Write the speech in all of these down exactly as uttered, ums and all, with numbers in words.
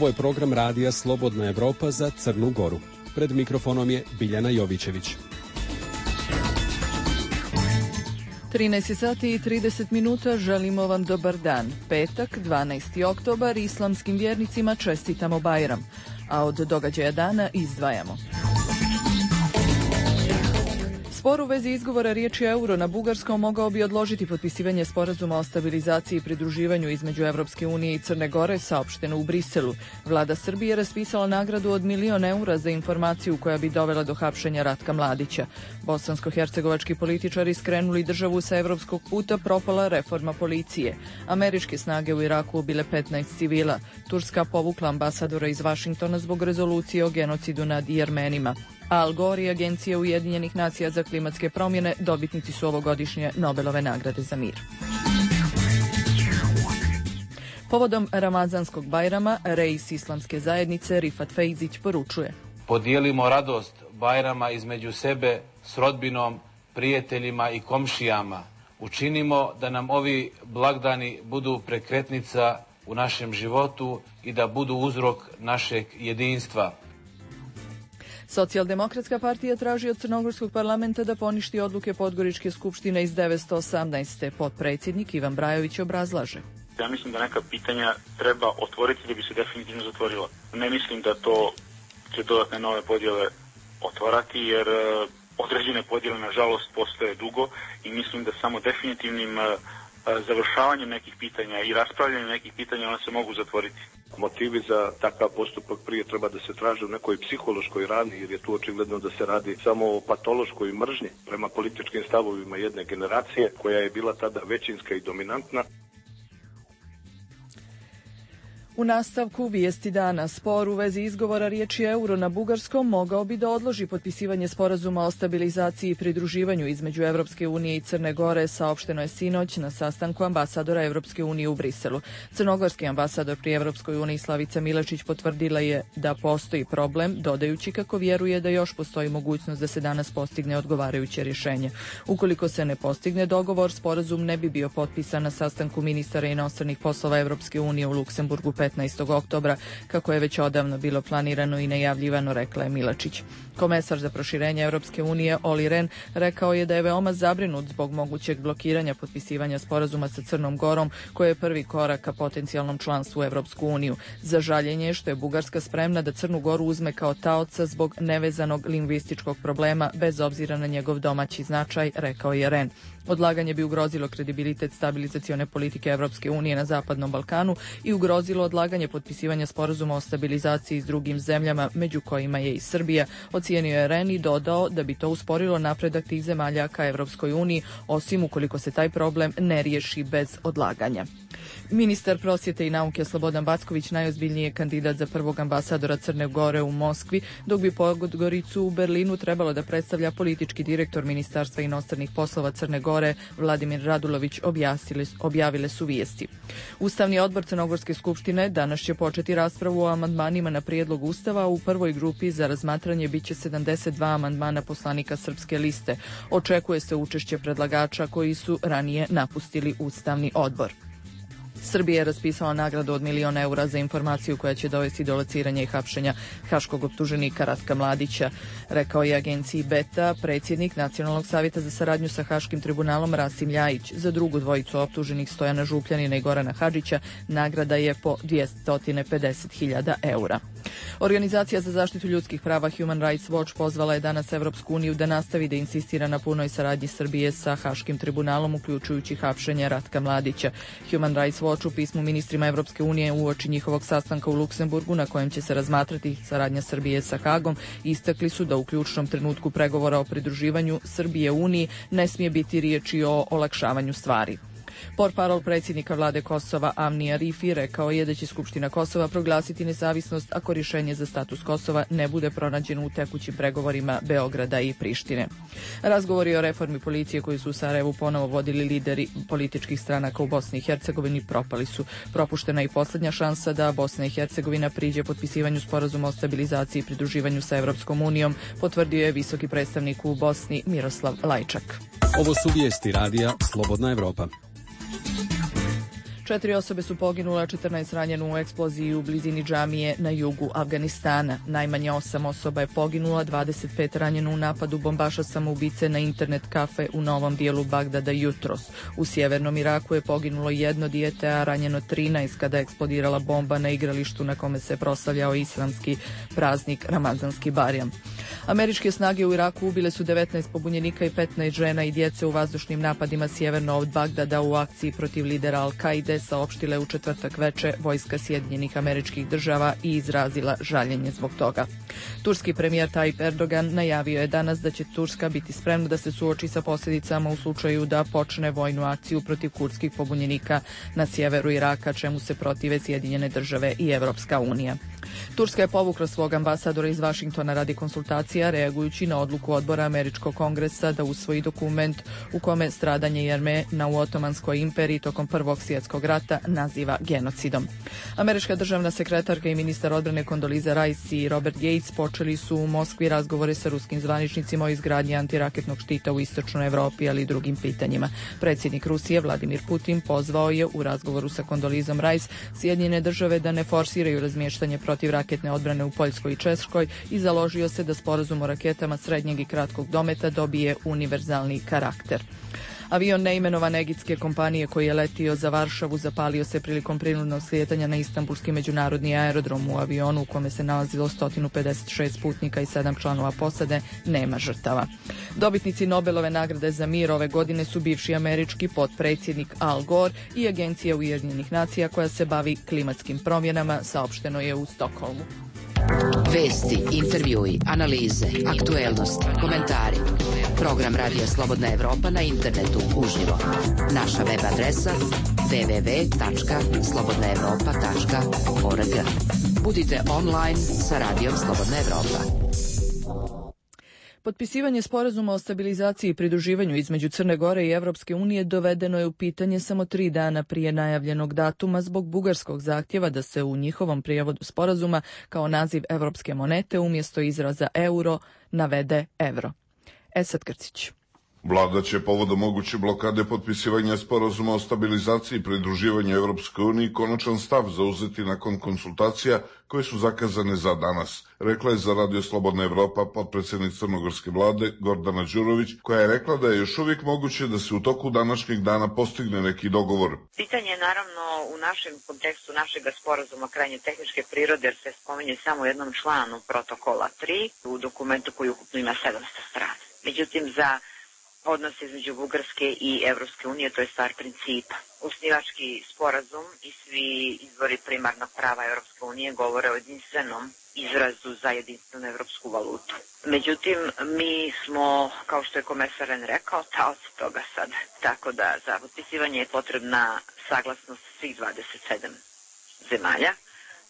je program radija Slobodna Evropa za Crnu Goru. Pred mikrofonom je Biljana Jovićević. trinaest sati i trideset minuta, želimo vam dobar dan. Petak, dvanaesti oktobar, islamskim vjernicima čestitamo Bajram, a od događaja dana izdvajamo. Spor u vezi izgovora riječi euro na bugarskom mogao bi odložiti potpisivanje sporazuma o stabilizaciji i pridruživanju između Evropske unije i Crne Gore, saopšteno u Briselu. Vlada Srbije raspisala nagradu od milion eura za informaciju koja bi dovela do hapšenja Ratka Mladića. Bosansko-hercegovački političari skrenuli državu sa evropskog puta, propala reforma policije. Američke snage u Iraku ubile petnaest civila. Turska povukla ambasadora iz Vašingtona zbog rezolucije o genocidu nad Jermenima. Al Gore i Agencija Ujedinjenih nacija za klimatske promjene dobitnici su ovogodišnje Nobelove nagrade za mir. Povodom Ramazanskog Bajrama, reis islamske zajednice Rifat Fejzić poručuje: Podijelimo radost Bajrama između sebe s rodbinom, prijateljima i komšijama. Učinimo da nam ovi blagdani budu prekretnica u našem životu i da budu uzrok našeg jedinstva. Socijaldemokratska partija traži od Crnogorskog parlamenta da poništi odluke Podgoričke skupštine iz devetsto osamnaeste. Potpredsjednik Ivan Brajović obrazlaže: Ja mislim da neka pitanja treba otvoriti da bi se definitivno zatvorila. Ne mislim da to će dodatne nove podjele otvarati, jer određene podjele nažalost postoje dugo i mislim da samo definitivnim završavanjem nekih pitanja i raspravljanjem nekih pitanja ona se mogu zatvoriti. Motivi za takav postupak prije treba da se traže u nekoj psihološkoj rani, jer je tu očigledno da se radi samo o patološkoj mržnji prema političkim stavovima jedne generacije koja je bila tada većinska i dominantna. U nastavku vijesti dana, spor u vezi izgovora riječi euro na bugarskom mogao bi da odloži potpisivanje sporazuma o stabilizaciji i pridruživanju između Evropske unije i Crne Gore, saopšteno je sinoć na sastanku ambasadora Evropske unije u Briselu. Crnogorski ambasador pri Evropskoj uniji Slavica Milečić potvrdila je da postoji problem, dodajući kako vjeruje da još postoji mogućnost da se danas postigne odgovarajuće rješenje. Ukoliko se ne postigne dogovor, sporazum ne bi bio potpisan na sastanku ministara inostranih poslova Evropske unije u Luksemburgu petnaestog oktobra, kako je već odavno bilo planirano i najavljivano, rekla je Milačić. Komesar za proširenje Evropske unije Oli Ren rekao je da je veoma zabrinut zbog mogućeg blokiranja potpisivanja sporazuma sa Crnom Gorom, koji je prvi korak ka potencijalnom članstvu u Evropsku uniju. Za žaljenje je što je Bugarska spremna da Crnu Goru uzme kao taoca zbog nevezanog lingvističkog problema, bez obzira na njegov domaći značaj, rekao je Ren. Odlaganje bi ugrozilo kredibilitet stabilizacione politike Evropske unije na Zapadnom Balkanu i ugrozilo odlaganje potpisivanja sporazuma o stabilizaciji s drugim zemljama, među kojima je i Srbija, ocijenio je Ren i dodao da bi to usporilo napredak tih zemalja ka Evropskoj uniji, osim ukoliko se taj problem ne riješi bez odlaganja. Ministar prosvjete i nauke Slobodan Backović najozbiljniji je kandidat za prvog ambasadora Crne Gore u Moskvi, dok bi Podgoricu u Berlinu trebalo da predstavlja politički direktor Ministarstva inostranih poslova Crne Gore Vladimir Radulović, objavile su vijesti. Ustavni odbor Crnogorske skupštine danas će početi raspravu o amandmanima na prijedlog Ustava. U prvoj grupi za razmatranje biće sedamdeset dva amandmana poslanika Srpske liste. Očekuje se učešće predlagača koji su ranije napustili Ustavni odbor. Srbija je raspisala nagradu od milion eura za informaciju koja će dovesti do lociranja i hapšenja haškog optuženika Ratka Mladića, rekao je agenciji Beta predsjednik Nacionalnog savjeta za saradnju sa Haškim tribunalom Rasim Ljajić. Za drugu dvojicu optuženih Stojana Župljanina i Gorana Hadžića nagrada je po dvjesto pedeset hiljada eura. Organizacija za zaštitu ljudskih prava Human Rights Watch pozvala je danas Evropsku uniju da nastavi da insistira na punoj saradnji Srbije sa Haškim tribunalom, uključujući hapšenje Ratka Mladića. Human Rights Watch u pismu ministrima Evropske unije uoči njihovog sastanka u Luksemburgu, na kojem će se razmatrati saradnja Srbije sa Hagom, istakli su da u ključnom trenutku pregovora o pridruživanju Srbije Uniji ne smije biti riječi o olakšavanju stvari. Portparol predsjednika vlade Kosova Avni Arifi rekao je da će Skupština Kosova proglasiti nezavisnost ako rješenje za status Kosova ne bude pronađeno u tekućim pregovorima Beograda i Prištine. Razgovori o reformi policije koji su u Sarajevu ponovo vodili lideri političkih stranaka u Bosni i Hercegovini propali su. Propuštena je i posljednja šansa da Bosna i Hercegovina priđe potpisivanju sporazuma o stabilizaciji i pridruživanju sa Evropskom unijom, potvrdio je visoki predstavnik u Bosni Miroslav Lajčak. Ovo su vijesti radija Slobodna Evropa. Četiri osobe su poginule, četrnaest ranjeno u eksploziji u blizini džamije na jugu Afganistana. Najmanje osam osoba je poginula, dvadeset pet ranjeno u napadu bombaša samoubice na internet kafe u novom dijelu Bagdada jutros. U sjevernom Iraku je poginulo jedno dijete, a ranjeno trinaest kada je eksplodirala bomba na igralištu na kome se proslavljao islamski praznik Ramazanski Barjam. Američke snage u Iraku ubile su devetnaest pobunjenika i petnaest žena i djece u vazdušnim napadima sjeverno od Bagdada u akciji protiv lidera Al-Kaide, saopštile u četvrtak veče vojska Sjedinjenih Američkih Država i izrazila žaljenje zbog toga. Turski premijer Tayyip Erdogan najavio je danas da će Turska biti spremna da se suoči sa posljedicama u slučaju da počne vojnu akciju protiv kurdskih pobunjenika na sjeveru Iraka, čemu se protive Sjedinjene Države i Evropska unija. Turska je povukla svog ambasadora iz Vašingtona radi konsultacija, reagujući na odluku odbora Američkog kongresa da usvoji dokument u kome stradanje Jermena u Otomanskoj imperiji tokom Prvog svjetskog rata naziva genocidom. Američka državna sekretarka i ministar odbrane Condoleezza Rice i Robert Gates počeli su u Moskvi razgovore sa ruskim zvaničnicima o izgradnji antiraketnog štita u istočnoj Evropi, ali i drugim pitanjima. Predsjednik Rusije Vladimir Putin pozvao je u razgovoru sa Condoleezzom Rice Sjedinjene Države da ne forsiraju razmještanje protiv raketne odbrane u Poljskoj i Češkoj i založio se da sporazum o raketama srednjeg i kratkog dometa dobije univerzalni karakter. Avion neimenovane egipatske kompanije koji je letio za Varšavu zapalio se prilikom prinudnog slijetanja na Istanbulski međunarodni aerodrom. U avionu u kome se nalazilo sto pedeset šest putnika i sedam članova posade nema žrtava. Dobitnici Nobelove nagrade za mir ove godine su bivši američki potpredsjednik Al Gore i Agencija Ujedinjenih nacija koja se bavi klimatskim promjenama, saopšteno je u Stokholmu. Vesti, intervjui, analize, aktuelnosti, komentari. Program Radija Slobodna Evropa na internetu uživo. Naša web adresa w w w tačka slobodna evropa tačka org. Budite online sa Radijom Slobodna Evropa. Potpisivanje sporazuma o stabilizaciji i pridruživanju između Crne Gore i Evropske unije dovedeno je u pitanje samo tri dana prije najavljenog datuma zbog bugarskog zahtjeva da se u njihovom prijevodu sporazuma kao naziv evropske monete umjesto izraza euro navede evro. Esad Krcić. Vlada će povodom moguće blokade potpisivanja sporazuma o stabilizaciji i pridruživanju Evropskoj uniji konačan stav zauzeti nakon konsultacija koje su zakazane za danas, rekla je za Radio Slobodna Evropa potpredsjednik crnogorske vlade Gordana Đurović, koja je rekla da je još uvijek moguće da se u toku današnjeg dana postigne neki dogovor. Pitanje je naravno u našem kontekstu našeg sporazuma krajnje tehničke prirode, jer se spominje samo jednom članu protokola tri u dokumentu koji ukupno ima sedamsto strana. Međutim, za odnos između Bugarske i Evropske unije, to je stvar principa. Osnivački sporazum i svi izvori primarnog prava Evropske unije govore o jedinstvenom izrazu za jedinstvenu evropsku valutu. Međutim, mi smo, kao što je komesar Ren rekao, taoci toga sad. Tako da za potpisivanje je potrebna saglasnost svih dvadeset sedam zemalja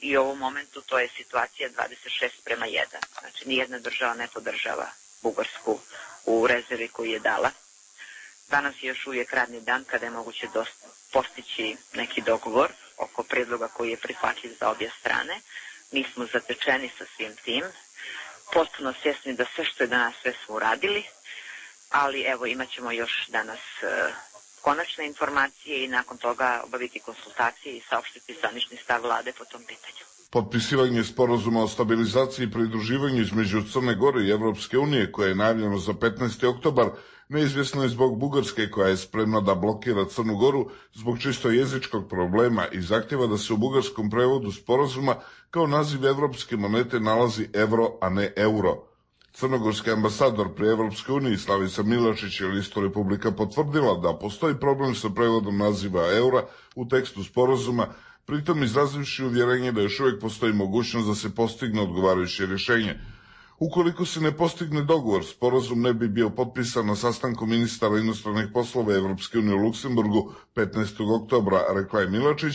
i u ovom momentu to je situacija dvadeset šest prema jedan. Znači, nijedna država ne podržava Bugarsku u rezervi koju je dala. Danas je još uvijek radni dan kada je moguće dosta postići neki dogovor oko predloga koji je prihvatljiv za obje strane. Mi smo zatečeni sa svim tim, potpuno svjesni da sve što je danas sve smo uradili, ali evo imat ćemo još danas e, konačne informacije i nakon toga obaviti konsultacije i saopštiti zvanični stav vlade po tom pitanju. Potpisivanje sporazuma o stabilizaciji i pridruživanju između Crne Gore i Evropske unije, koje je najavljeno za petnaesti oktobar, neizvjesno je zbog Bugarske, koja je spremna da blokira Crnu Goru zbog čisto jezičkog problema i zahtjeva da se u bugarskom prevodu sporazuma kao naziv evropske monete nalazi evro, a ne euro. Crnogorski ambasador pri Evropskoj uniji Slavica Milošić je listu Republika potvrdila da postoji problem sa prevodom naziva eura u tekstu sporazuma, pritom izrazivši uvjerenje da još uvijek postoji mogućnost da se postigne odgovarajuće rješenje. Ukoliko se ne postigne dogovor, sporazum ne bi bio potpisan na sastanku ministara inostranih poslova Evropske unije u Luksemburgu petnaestog oktobra, rekla je Milošić,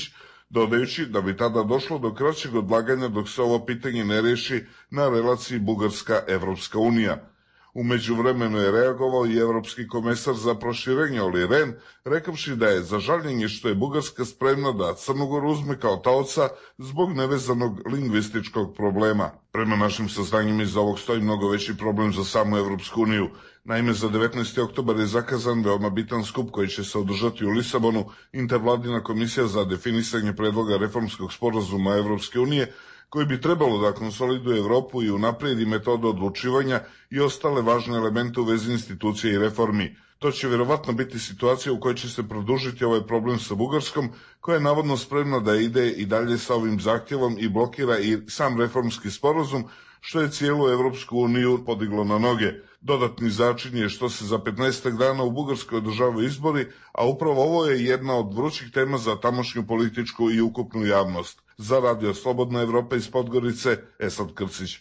dodajući da bi tada došlo do kraćeg odlaganja dok se ovo pitanje ne riješi na relaciji Bugarska-Evropska unija. U međuvremenu je reagovao i evropski komesar za proširenje Olli Rehn, rekavši da je za žaljenje što je Bugarska spremna da Crnu Goru uzme kao taoca zbog nevezanog lingvističkog problema. Prema našim saznanjima iz ovog stoji mnogo veći problem za samu Evropsku uniju. Naime, za devetnaesti oktobar je zakazan veoma bitan skup koji će se održati u Lisabonu, intervladina komisija za definisanje predloga reformskog sporazuma Evropske unije, koji bi trebalo da konsoliduje Evropu i unapredi metodu odlučivanja i ostale važne elemente u vezi institucije i reformi. To će vjerovatno biti situacija u kojoj će se produžiti ovaj problem sa Bugarskom, koja je navodno spremna da ide i dalje sa ovim zahtjevom i blokira i sam reformski sporazum, što je cijelu Evropsku uniju podiglo na noge. Dodatni začin je što se za petnaestak dana u Bugarskoj održavaju izbori, a upravo ovo je jedna od vrućih tema za tamošnju političku i ukupnu javnost. Za Radio Slobodna Evropa iz Podgorice, Esad Krcić.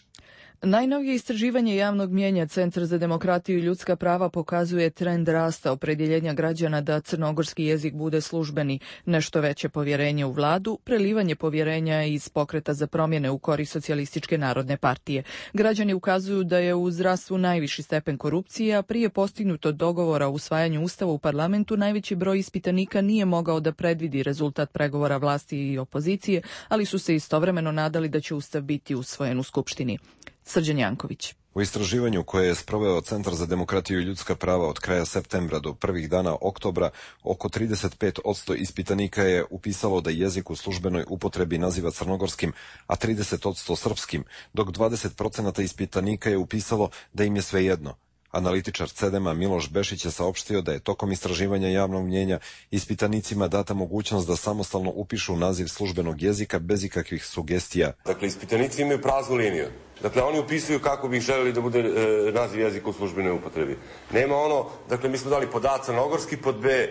Najnovije istraživanje javnog mnijenja Centra za demokratiju i ljudska prava pokazuje trend rasta opredjeljenja građana da crnogorski jezik bude službeni, nešto veće povjerenje u vladu, prelivanje povjerenja iz Pokreta za promjene u korist Socijalističke narodne partije. Građani ukazuju da je u zdravstvu najviši stepen korupcije, a prije postignutog dogovora o usvajanju ustava u parlamentu najveći broj ispitanika nije mogao da predvidi rezultat pregovora vlasti i opozicije, ali su se istovremeno nadali da će ustav biti usvojen u Skupštini. Srđan Janković. U istraživanju koje je sproveo Centar za demokratiju i ljudska prava od kraja septembra do prvih dana oktobra, oko trideset pet posto ispitanika je upisalo da jezik u službenoj upotrebi naziva crnogorskim, a trideset posto srpskim, dok dvadeset posto ispitanika je upisalo da im je svejedno. Analitičar Cedema Miloš Bešić je saopštio da je tokom istraživanja javnog mnjenja ispitanicima data mogućnost da samostalno upišu naziv službenog jezika bez ikakvih sugestija. Dakle, ispitanici imaju praznu liniju. Dakle, oni upisuju kako bi želeli da bude e, naziv jezika u službenoj upotrebi. Nema ono, dakle, mi smo dali pod A crnogorski, pod B e,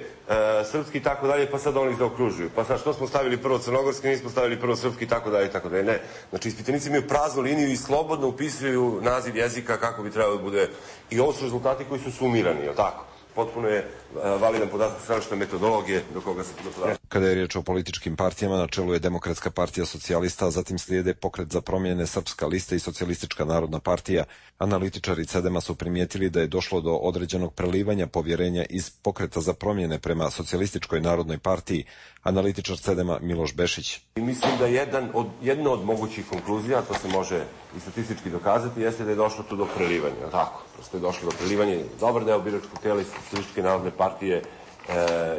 srpski i tako dalje, pa sad oni zaokružuju. Pa sad što smo stavili prvo crnogorski, mi smo stavili prvo srpski i tako dalje i tako dalje. Ne. Znači, ispitanici imaju praznu liniju i slobodno upisuju naziv jezika kako bi trebalo da bude. I ovo su rezultati koji su sumirani, je li tako? Potpuno je validan podatak stranačke metodologije do koga se podatak. Kada je riječ o političkim partijama, na čelu je Demokratska partija socijalista, a zatim slijede Pokret za promjene, Srpska lista i Socijalistička narodna partija. Analitičari Cedema su primijetili da je došlo do određenog prelivanja povjerenja iz Pokreta za promjene prema Socijalističkoj narodnoj partiji. Analitičar Cedema Miloš Bešić. I mislim da jedan od, jedna od mogućih konkluzija, to se može i statistički dokazati, jeste da je došlo tu do prelivanja. Tako, prosto je došlo do prelivanja. Dobar deo biračkog tijela iz Socijalističke narodne partije e,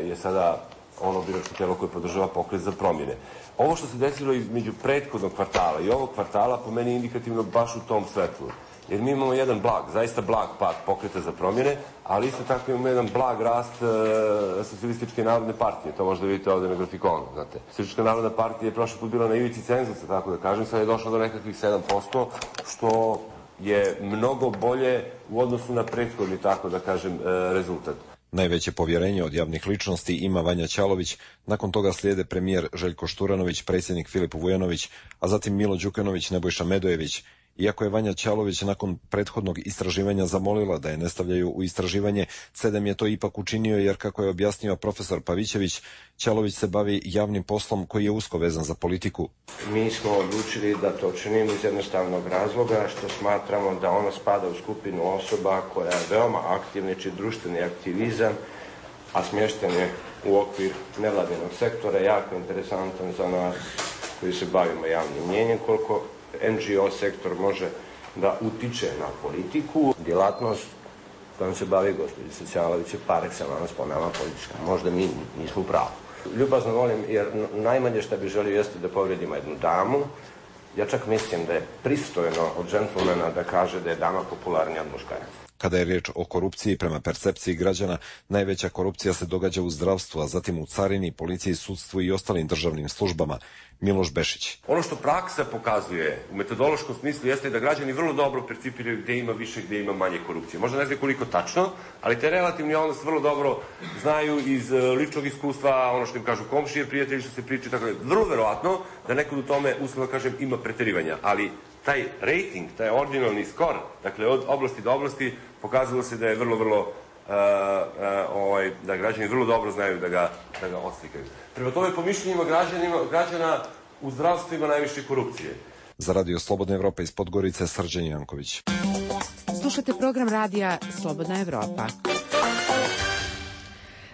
je sada ono biračko tijelo koje podržava Pokret za promjene. Ovo što se desilo između prethodnog kvartala i ovog kvartala po meni je indikativno baš u tom svetlu. Jer mi imamo jedan blag, zaista blag pad Pokreta za promjene, ali isto tako imamo jedan blag rast e, Socijalističke narodne partije. To možda vidite ovdje na grafikonu, znate. Socijalistička narodna partija je prošli put bila na ivici cenzusa, tako da kažem, sad je došla do nekakvih sedam posto, što je mnogo bolje u odnosu na prethodni, tako da kažem, e, rezultat. Najveće povjerenje od javnih ličnosti ima Vanja Ćalović, nakon toga slijede premijer Željko Šturanović, predsjednik Filip Vujanović, a zatim Milo Đukanović, Nebojša Medojević. Iako je Vanja Ćalović nakon prethodnog istraživanja zamolila da je ne stavljaju u istraživanje, Cedem je to ipak učinio jer, kako je objasnio profesor Pavićević, Ćalović se bavi javnim poslom koji je usko vezan za politiku. Mi smo odlučili da to činimo iz jednostavnog razloga što smatramo da ona spada u skupinu osoba koja je veoma aktivna, či društveni aktivizam, a smješten je u okvir nevladinog sektora, jako interesantan za nas koji se bavimo javnim mnjenjem, koliko en dži o sektor može da utiče na politiku. Djelatnost kojom se bavi gospođa Socijalović je par excellence po nama politička. Možda mi nismo u pravu. Ljubazno volim, jer najmanje što bi želio jeste da povredimo jednu damu. Ja čak mislim da je pristojno od džentlmena da kaže da je dama popularnija od muškaraca. Kada je riječ o korupciji, prema percepciji građana, najveća korupcija se događa u zdravstvu, a zatim u carini, policiji, sudstvu i ostalim državnim službama. Miloš Bešić. Ono što praksa pokazuje u metodološkom smislu jeste da građani vrlo dobro percipiraju gdje ima više, gdje ima manje korupcije. Možda ne znaju koliko tačno, ali te relativni odnos vrlo dobro znaju iz ličnog iskustva, ono što im kažu komšije, prijatelji, što se pričaju, tako da vrlo verovatno da nekad u tome, uslovno kažem, ima preterivanja, ali taj rating, taj ordinalni skor, dakle od oblasti do oblasti, pokazalo se da je vrlo, vrlo, uh, uh, ovaj, da građani vrlo dobro znaju da ga, da ga odslikaju. Prema tome, po mišljenjima građana u zdravstvu ima najviše korupcije. Za Radio Slobodna Evropa iz Podgorice, Srđan Janković. Slušate program radija Slobodna Evropa.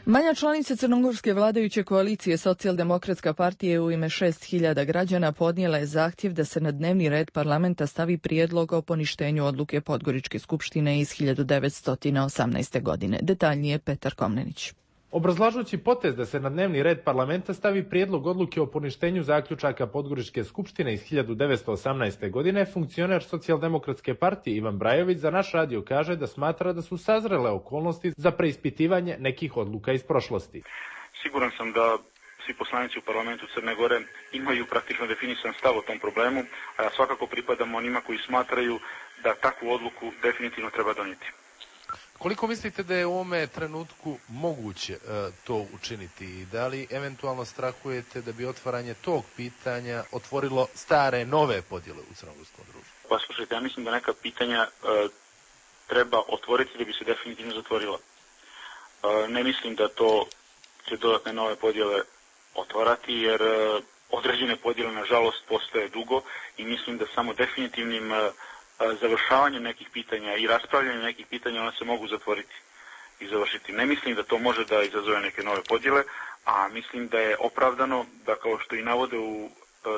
Manja članica crnogorske vladajuće koalicije Socijaldemokratska partija u ime šest hiljada građana podnijela je zahtjev da se na dnevni red parlamenta stavi prijedlog o poništenju odluke Podgoričke skupštine iz hiljadu devetsto osamnaeste. godine. Detaljnije Petar Komnenić. Obrazlažući potez da se na dnevni red parlamenta stavi prijedlog odluke o poništenju zaključaka Podgoričke skupštine iz hiljadu devetsto osamnaeste. godine, funkcioner Socijaldemokratske partije Ivan Brajović za naš radio kaže da smatra da su sazrele okolnosti za preispitivanje nekih odluka iz prošlosti. Siguran sam da svi poslanici u parlamentu Crne Gore imaju praktično definisan stav o tom problemu, a ja svakako pripadam onima koji smatraju da takvu odluku definitivno treba donijeti. Koliko mislite da je u ovome trenutku moguće uh, to učiniti i da li eventualno strahujete da bi otvaranje tog pitanja otvorilo stare, nove podjele u crnogorskom društvu? Pa slušajte, ja mislim da neka pitanja uh, treba otvoriti da bi se definitivno zatvorila. Uh, ne mislim da to će dodatne nove podjele otvarati, jer uh, određene podjele nažalost postoje dugo i mislim da samo definitivnim uh, završavanjem nekih pitanja i raspravljanjem nekih pitanja ona se mogu zatvoriti i završiti. Ne mislim da to može da izazove neke nove podjele, a mislim da je opravdano da, kao što i navode u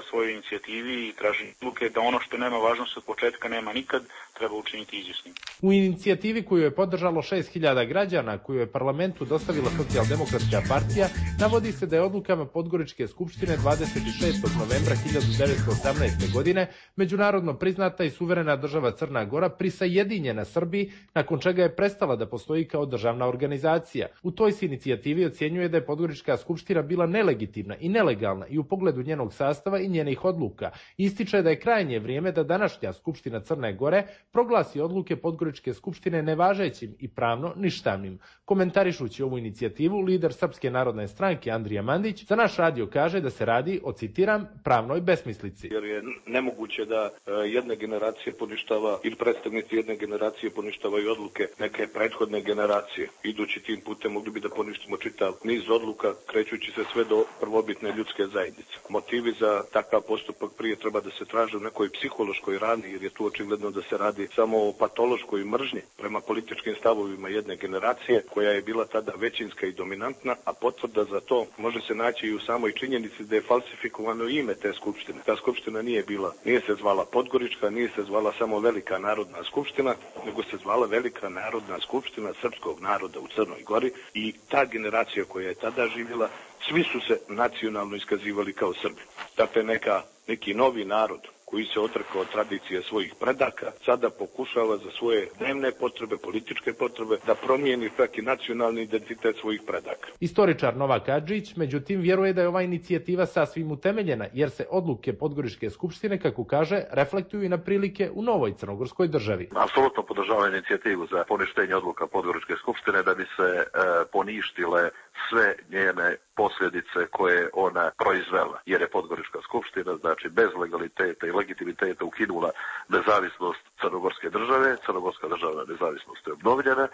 svojoj inicijativi i traži odluke, da ono što nema važnost od početka nema nikad, treba učiniti izvjesnim. U inicijativi koju je podržalo šest hiljada građana, koju je parlamentu dostavila Socijaldemokratska partija, navodi se da je odlukama Podgoričke skupštine dvadeset šestog novembra hiljadu devetsto osamnaeste. godine međunarodno priznata i suverena država Crna Gora prisajedinjena Srbiji, nakon čega je prestala da postoji kao državna organizacija. U toj se inicijativi ocjenjuje da je Podgorička skupština bila nelegitimna i nelegalna i u pogledu njenog sastava i njenih odluka. Ističe da je krajnje vrijeme da današnja Skupština Crne Gore proglasi odluke Podgoričke skupštine nevažećim i pravno ništavnim. Komentarišući ovu inicijativu, lider Srpske narodne stranke Andrija Mandić za naš radio kaže da se radi o, citiram, pravnoj besmislici. Jer je nemoguće da jedna generacija poništava ili predstavnici jedne generacije poništavaju odluke neke prethodne generacije. Idući tim putem mogli bi da poništimo čitav niz odluka, krećući se sve do prvobitne ljudske zajednice. Motivi za takav postupak prije treba da se traže u nekoj psihološkoj rani, jer je tu očigledno da se radi samo o patološkoj mržnji prema političkim stavovima jedne generacije koja je bila tada većinska i dominantna, a potvrda za to može se naći i u samoj činjenici da je falsifikovano ime te skupštine. Ta skupština nije bila, nije se zvala Podgorička, nije se zvala samo Velika narodna skupština, nego se zvala Velika narodna skupština srpskog naroda u Crnoj Gori i ta generacija koja je tada živjela, svi su se nacionalno iskazivali kao Srbi. Dakle, neka, neki novi narod koji se odrekao od tradicije svojih predaka, sada pokušava za svoje dnevne potrebe, političke potrebe, da promijeni čak i nacionalni identitet svojih predaka. Istoričar Novak Adžić, međutim, vjeruje da je ova inicijativa sasvim utemeljena, jer se odluke Podgoričke skupštine, kako kaže, reflektuju i na prilike u novoj crnogorskoj državi. Apsolutno podržavam inicijativu za poništenje odluka Podgoričke skupštine da bi se e, poništile sve njene posljedice koje ona proizvela, jer je Podgorička skupština, znači bez legaliteta i legitimiteta ukinula nezavisnost crnogorske države, crnogorska državna nezavisnost je obnovljena,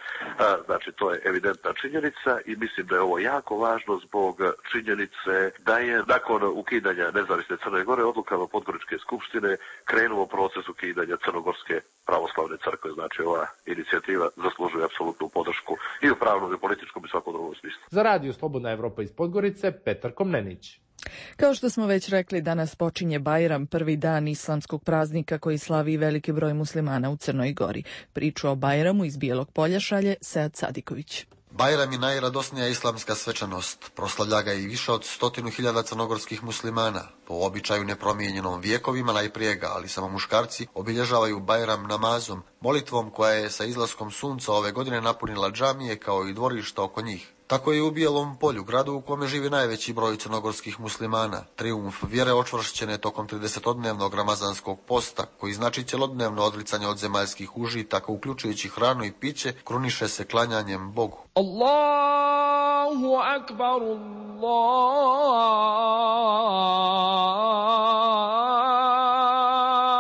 znači to je evidentna činjenica i mislim da je ovo jako važno zbog činjenice da je nakon ukidanja nezavisne Crne Gore odlukama Podgoričke skupštine krenuo proces ukidanja Crnogorske pravoslavne crkve, znači ova inicijativa zaslužuje apsolutnu podršku i u pravnom i političkom i svakom drugom smislu. Za radio Slobodna Evropa iz Podgorice, Petar Komnenić. Kao što smo već rekli, danas počinje Bajram, prvi dan islamskog praznika koji slavi veliki broj muslimana u Crnoj Gori. Priču o Bajramu iz Bijelog Polja šalje Sead Sadiković. Bajram je najradosnija islamska svečanost. Proslavlja ga i više od stotinu hiljada crnogorskih muslimana. Po običaju nepromijenjenom vjekovima najprije ga, ali samo muškarci, obilježavaju Bajram namazom, molitvom koja je sa izlaskom sunca ove godine napunila džamije kao i dvorišta oko njih. Tako je u Bijelom Polju, gradu u kome živi najveći broj crnogorskih muslimana. Trijumf vjere očvršćene tokom tridesetodnevnog ramazanskog posta, koji znači cjelodnevno odricanje od zemaljskih užitaka, uključujući hranu i piće, kruniše se klanjanjem Bogu. Allahu akbar,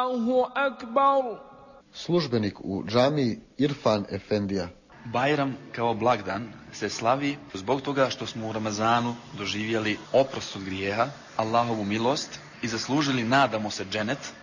Allahu akbar. Službenik u džamiji Irfan Efendija. Bajram kao blagdan se slavi zbog toga što smo u Ramazanu doživjeli oprost od grijeha, Allahovu milost i zaslužili, nadamo se, dženet.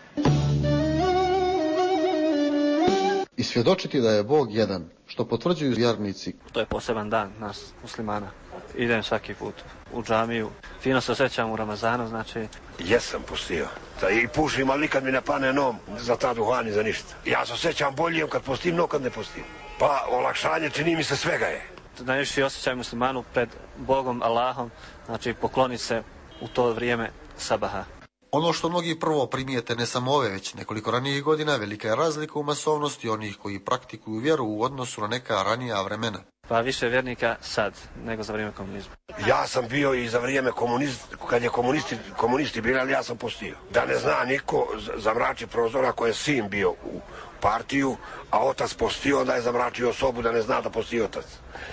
svjedočiti da je Bog jedan, što potvrđuju vjernici. To je poseban dan nas muslimana. Idem svaki put u džamiju. Fino se osjećam u Ramazanu, znači... Jesam postio. Da i pušim, ali nikad mi ne pane nom za ta duhan i za ništa. Ja se osjećam bolje kad postim, no kad ne postim. Pa olakšanje čini mi se svega je. Najviši osjećaj muslimanu pred Bogom, Allahom, znači pokloni se u to vrijeme sabaha. Ono što mnogi prvo primijete ne samo ove, već nekoliko ranijih godina, velika je razlika u masovnosti onih koji praktikuju vjeru u odnosu na neka ranija vremena. Pa više vjernika sad nego za vrijeme komunizma. Ja sam bio i za vrijeme komunizma, kad je komunisti, komunisti bili, ali ja sam postio. Da ne zna niko zamrači prozora koji je sin bio u partiju, a otac postio, onda je zamračio sobu da ne zna da posti otac.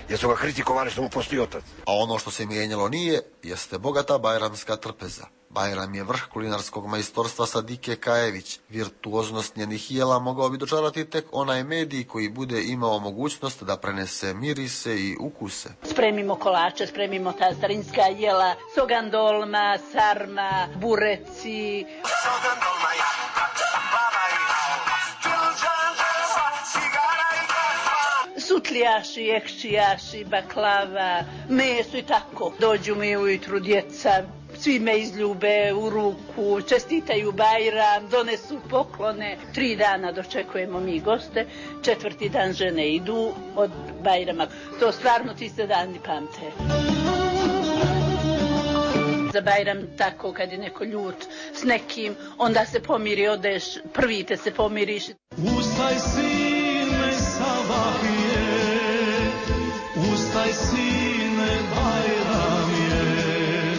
Jer su ga kritikovali što mu posti otac. A ono što se mijenjalo nije, jeste bogata bajramska trpeza. Bajram je vrh kulinarskog majstorstva Sadike Kajević. Virtuoznost njenih jela mogao bi dočarati tek onaj medij koji bude imao mogućnost da prenese mirise i ukuse. Spremimo kolače, spremimo ta starinska jela, sogandolma, sarma, bureci. Sogandolma ja, baba i sutljaši, ekšijaši, baklava, meso i tako. Dođu mi ujutru djeca, svi me izljube u ruku, čestitaju Bajram, donesu poklone. Tri dana dočekujemo mi goste, četvrti dan žene idu od Bajrama. To stvarno ti se dani pamte. Za Bajram tako kad je neko ljut s nekim, onda se pomiri, odeš, prvi te se pomiriš. Ustaj sine sabahije, ustaj sine Bajram je.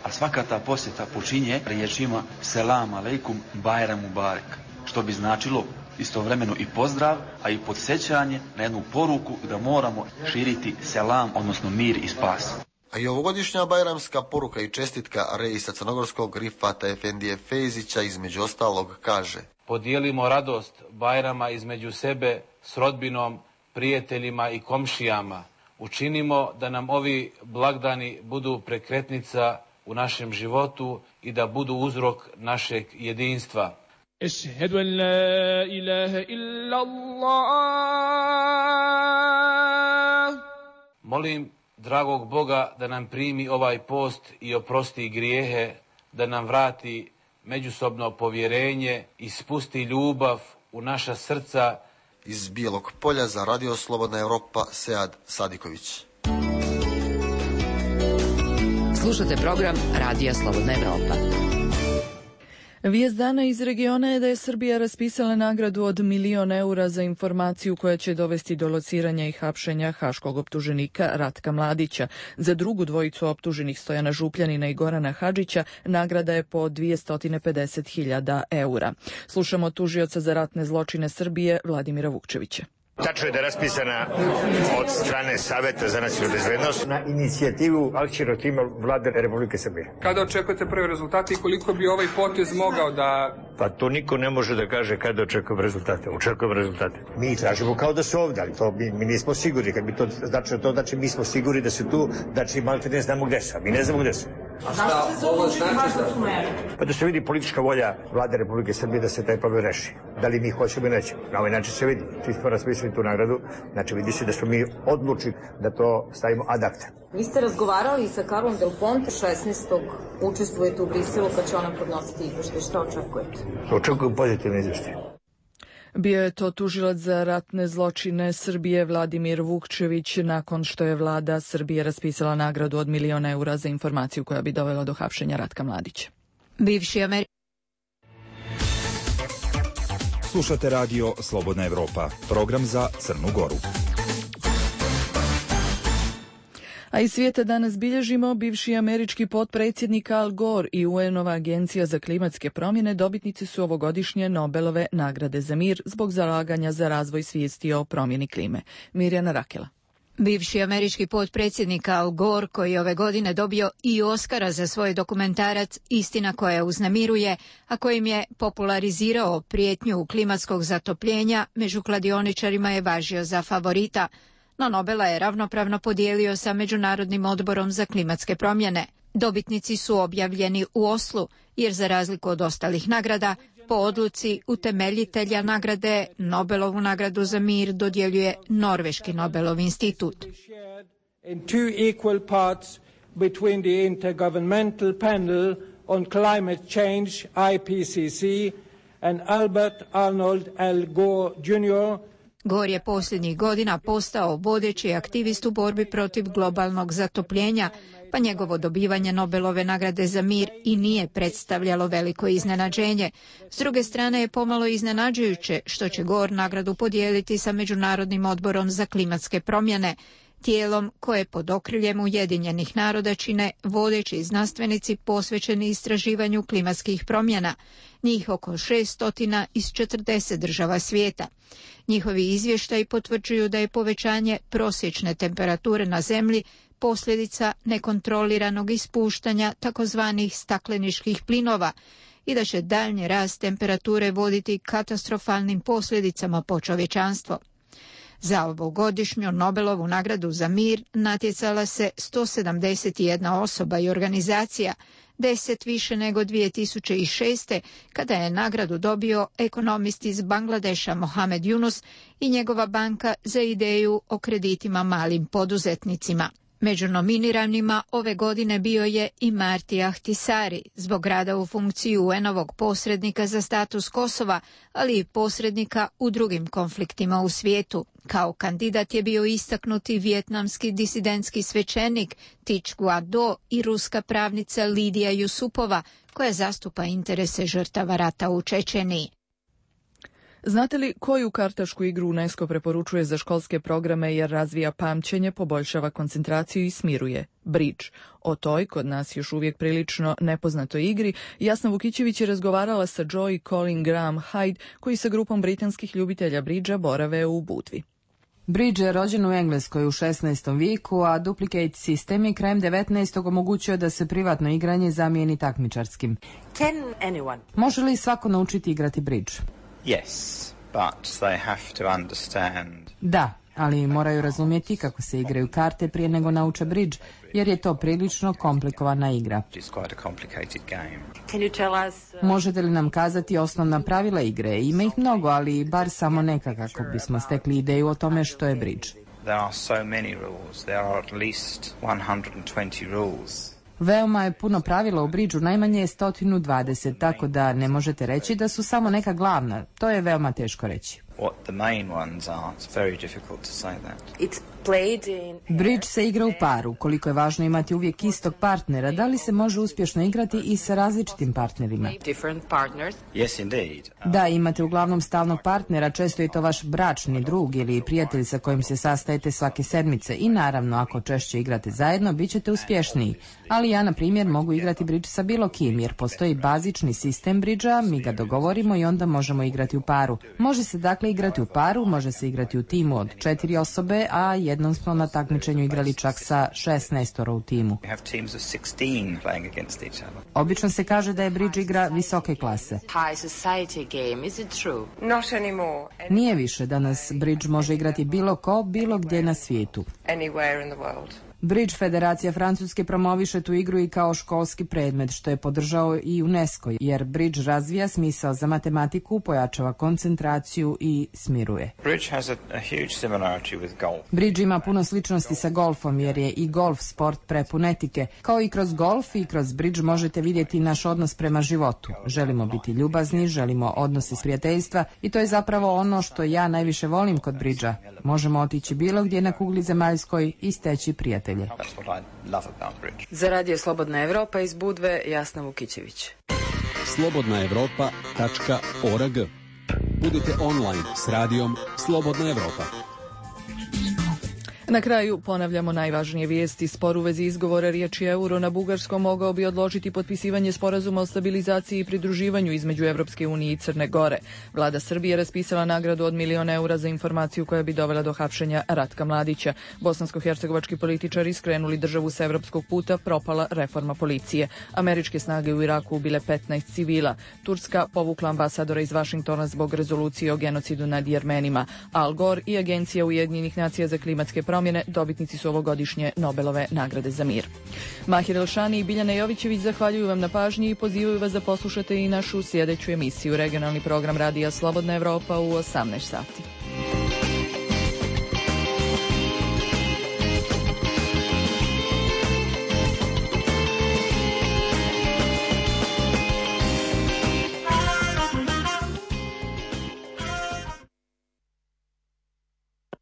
A svaka ta posjeta počinje riječima selam aleikum Bajram mubarek, što bi značilo istovremeno i pozdrav, a i podsjećanje na jednu poruku da moramo širiti selam, odnosno mir i spas. A i ovogodišnja bajramska poruka i čestitka reisa crnogorskog Rifata Efendije Fejzića između ostalog kaže: Podijelimo radost Bajrama između sebe s rodbinom, prijateljima i komšijama. Učinimo da nam ovi blagdani budu prekretnica u našem životu i da budu uzrok našeg jedinstva. Ešhedu en la ilaha illallah. Molim dragog Boga da nam primi ovaj post i oprosti grijehe, da nam vrati međusobno povjerenje i spusti ljubav u naša srca. Iz Bijelog Polja za Radio Slobodna Evropa, Sead Sadiković. Slušate program Radija Slobodna Evropa. Vijest dana iz regiona je da je Srbija raspisala nagradu od milion eura za informaciju koja će dovesti do lociranja i hapšenja haškog optuženika Ratka Mladića. Za drugu dvojicu optuženih Stojana Župljanina i Gorana Hadžića nagrada je po dvjesto pedeset hiljada eura. Slušamo tužioca za ratne zločine Srbije Vladimira Vukčevića. Tačno je da je raspisana od strane Saveta za nacionalnu bezbednost na inicijativu akcijnog tima Vlade Republike Srbije. Kada očekujete prve rezultate i koliko bi ovaj potez mogao da... Pa to niko ne može da kaže kada očekujemo rezultate. Očekujemo rezultate. Mi tražimo kao da su ovdje, ali to mi, mi nismo sigurni. Kad bi to znači, to znači mi smo sigurni da su tu, znači malo ne znamo gde su. Mi ne znamo gde su. A šta ovo znači da su meri? Pa da se vidi politička volja Vlade Republike Srbije da se taj problem reši. Da li mi hoćemo ili nećemo. Na ovaj način se vidi. Svi smo raspisali tu nagradu, znači vidi se da smo mi odlučili da to stavimo ad acta. Vi ste razgovarali sa Karlom Del Ponte, šesnaestog učestvujete u Briselu kad će ona podnositi izveštaj. Šta očekujete? Očekujem pozitivne izveštaje. Bio je to tužilac za ratne zločine Srbije Vladimir Vukčević nakon što je vlada Srbije raspisala nagradu od milion eura za informaciju koja bi dovela do hapšenja Ratka Mladića. Bivši Ameri... Slušate radio Slobodna Evropa, program za Crnu Goru. A iz svijeta danas bilježimo bivši američki potpredsjednik Al Gore i U N-ova agencija za klimatske promjene dobitnici su ovogodišnje Nobelove nagrade za mir zbog zalaganja za razvoj svijesti o promjeni klime. Mirjana Rakela. Bivši američki potpredsjednik Al Gore, koji je ove godine dobio i Oskara za svoj dokumentarac Istina koja uznemiruje, a kojim je popularizirao prijetnju klimatskog zatopljenja, među kladioničarima je važio za favorita, no Nobela je ravnopravno podijelio sa Međunarodnim odborom za klimatske promjene. Dobitnici su objavljeni u Oslu, jer za razliku od ostalih nagrada, Po odluci utemeljitelja nagrade, Nobelovu nagradu za mir dodjeljuje Norveški Nobelov institut. In two equal parts between the Intergovernmental Panel on Climate Change, I P C C, and Albert Arnold Al Gore junior Gore je posljednjih godina postao vodeći aktivist u borbi protiv globalnog zatopljenja, pa njegovo dobivanje Nobelove nagrade za mir i nije predstavljalo veliko iznenađenje. S druge strane je pomalo iznenađujuće što će Gore nagradu podijeliti sa Međunarodnim odborom za klimatske promjene, tijelom koje pod okriljem Ujedinjenih naroda čine vodeći znanstvenici posvećeni istraživanju klimatskih promjena, njih oko šessto iz četrdeset država svijeta. Njihovi izvještaji potvrđuju da je povećanje prosječne temperature na Zemlji posljedica nekontroliranog ispuštanja takozvanih stakleničkih plinova i da će daljnji rast temperature voditi katastrofalnim posljedicama po čovječanstvo. Za ovogodišnju Nobelovu nagradu za mir natjecala se sto sedamdeset jedna osoba i organizacija, deset više nego dvije tisuće šest. kada je nagradu dobio ekonomist iz Bangladeša Mohamed Yunus i njegova banka za ideju o kreditima malim poduzetnicima. Među nominiranima ove godine bio je i Marti Ahtisari zbog rada u funkciji U N-ovog posrednika za status Kosova, ali i posrednika u drugim konfliktima u svijetu. Kao kandidat je bio istaknuti vijetnamski disidentski svećenik Thich Guat Do i ruska pravnica Lidija Jusupova, koja zastupa interese žrtava rata u Čečeniji. Znate li koju kartašku igru UNESCO preporučuje za školske programe jer razvija pamćenje, poboljšava koncentraciju i smiruje? Bridge. O toj, kod nas još uvijek prilično nepoznatoj igri, Jasna Vukićević je razgovarala sa Joy i Colin Graham Hyde, koji sa grupom britanskih ljubitelja bridža borave u Budvi. Bridge je rođen u Engleskoj u šesnaestom vijeku, a duplicate sistem je krajem devetnaestog omogućio da se privatno igranje zamijeni takmičarskim. Can anyone? Može li svako naučiti igrati bridge? Yes, but they have to understand. Da, ali moraju razumjeti kako se igraju karte prije nego nauče bridge, jer je to prilično komplikovana igra. It's quite a complicated game. Can you tell us, uh... Možete li nam kazati osnovna pravila igre? Ima ih mnogo, ali bar samo neka kako bismo stekli ideju o tome što je bridge. There are so many rules. There are at least one hundred twenty rules. Veoma je puno pravila u bridžu, najmanje je sto dvadeset, tako da ne možete reći da su samo neka glavna. To je veoma teško reći. What the main ones are, it's very difficult to say that. It's played in... Bridge se igra u paru. Koliko je važno imati uvijek istog partnera, da li se može uspješno igrati i sa različitim partnerima? Different partners. Yes, indeed. Da, imate uglavnom stalnog partnera, često je to vaš bračni drug ili prijatelj sa kojim se sastajete svake sedmice i naravno ako češće igrate zajedno, bit ćete uspješniji. Ali ja, na primjer, mogu igrati bridge sa bilo kim, jer postoji bazični sistem bridža, mi ga dogovorimo i onda možemo igrati u paru. Može se dakle igrati u paru, može se igrati u timu od četiri osobe, a jednom smo na takmičenju igrali čak sa šesnaestoro u timu. Obično se kaže da je bridge igra visoke klase. Nije više, danas bridge može igrati bilo ko, bilo gdje na svijetu. Bridge Federacija Francuske promoviše tu igru i kao školski predmet, što je podržao i UNESCO, jer bridge razvija smisao za matematiku, pojačava koncentraciju i smiruje. Bridge has a, a huge similarity with golf. Bridge ima puno sličnosti sa golfom, jer je i golf sport prepun etike. Kao i kroz golf i kroz bridge možete vidjeti naš odnos prema životu. Želimo biti ljubazni, želimo odnose s prijateljstva i to je zapravo ono što ja najviše volim kod bridža. Možemo otići bilo gdje na kugli zemaljskoj i steći prijatelje. Za Radio Slobodna Evropa iz Budve, Jasna Vukićević. slobodna evropa tačka org. Budite online s radijom Slobodna Evropa. Na kraju ponavljamo najvažnije vijesti. Spor u vezi izgovora riječi euro na bugarskom mogao bi odložiti potpisivanje sporazuma o stabilizaciji i pridruživanju između Evropske unije i Crne Gore. Vlada Srbije raspisala nagradu od milion eura za informaciju koja bi dovela do hapšenja Ratka Mladića. Bosansko-hercegovački političari skrenuli državu sa evropskog puta, propala reforma policije. Američke snage u Iraku ubile petnaest civila. Turska povukla ambasadora iz Vašingtona zbog rezolucije o genocidu nad Jermenima. Al Gore i Agencija Ujedinjenih nacija za klimatske promjene promjene dobitnici su ovogodišnje Nobelove nagrade za mir. Mahir Elšani i Biljana Jovićević zahvaljuju vam na pažnji i pozivaju vas da poslušate i našu sljedeću emisiju, regionalni program Radija Slobodna Evropa u osamnaest sati.